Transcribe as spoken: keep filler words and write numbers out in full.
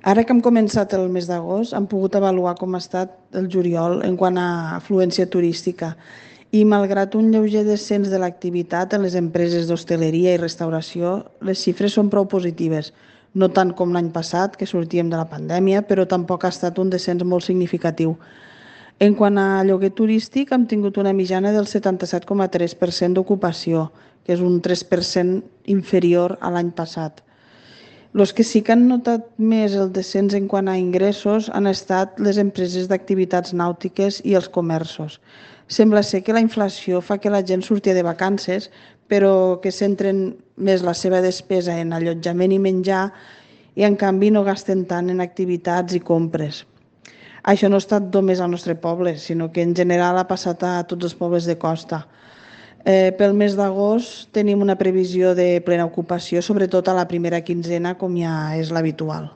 Ara que hem començat el mes d'agost, hem pogut avaluar com ha estat el juliol en quant a afluència turística i, malgrat un lleuger descens de l'activitat en les empreses d'hostaleria i restauració, les xifres són prou positives. No tant com l'any passat, que sortíem de la pandèmia, però tampoc ha estat un descens molt significatiu. En quant a lloguer turístic, hem tingut una mitjana del setanta-set coma tres per cent d'ocupació, que és un tres per cent inferior a l'any passat. Els que sí que han notat més el descens en quant a ingressos han estat les empreses d'activitats nàutiques i els comerços. Sembla ser que la inflació fa que la gent surti de vacances, però que centren més la seva despesa en allotjament i menjar i, en canvi, no gasten tant en activitats i compres. Això no ha estat només al nostre poble, sinó que en general ha passat a tots els pobles de costa. Eh, pel mes d'agost tenim una previsió de plena ocupació, sobretot a la primera quinzena, com ja és l'habitual.